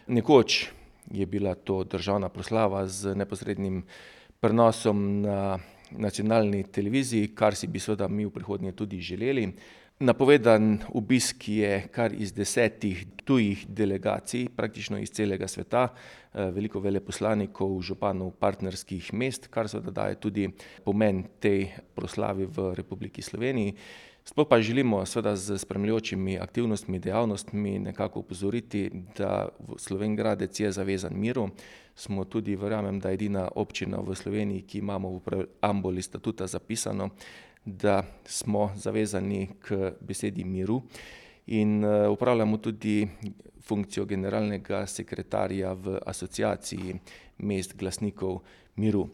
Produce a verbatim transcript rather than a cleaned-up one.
Nekoč je bila to državna proslava z neposrednim prenosom na nacionalni televiziji, kar si bi seveda mi v prihodnje tudi želeli. Napovedan obisk je kar iz desetih tujih delegacij, praktično iz celega sveta, veliko veleposlanikov, županov partnerskih mest, kar seveda daje tudi pomen tej proslavi v Republiki Sloveniji. Sploh pa želimo seveda s spremljajočimi aktivnostmi, dejavnostmi nekako opozoriti, da Slovenj Gradec je zavezan miru. Smo tudi, verjamem, da edina občina v Sloveniji, ki imamo v preambuli statuta zapisano, da smo zavezani k besedi miru in opravljamo tudi funkcijo generalnega sekretarja v Asociaciji mest glasnikov miru.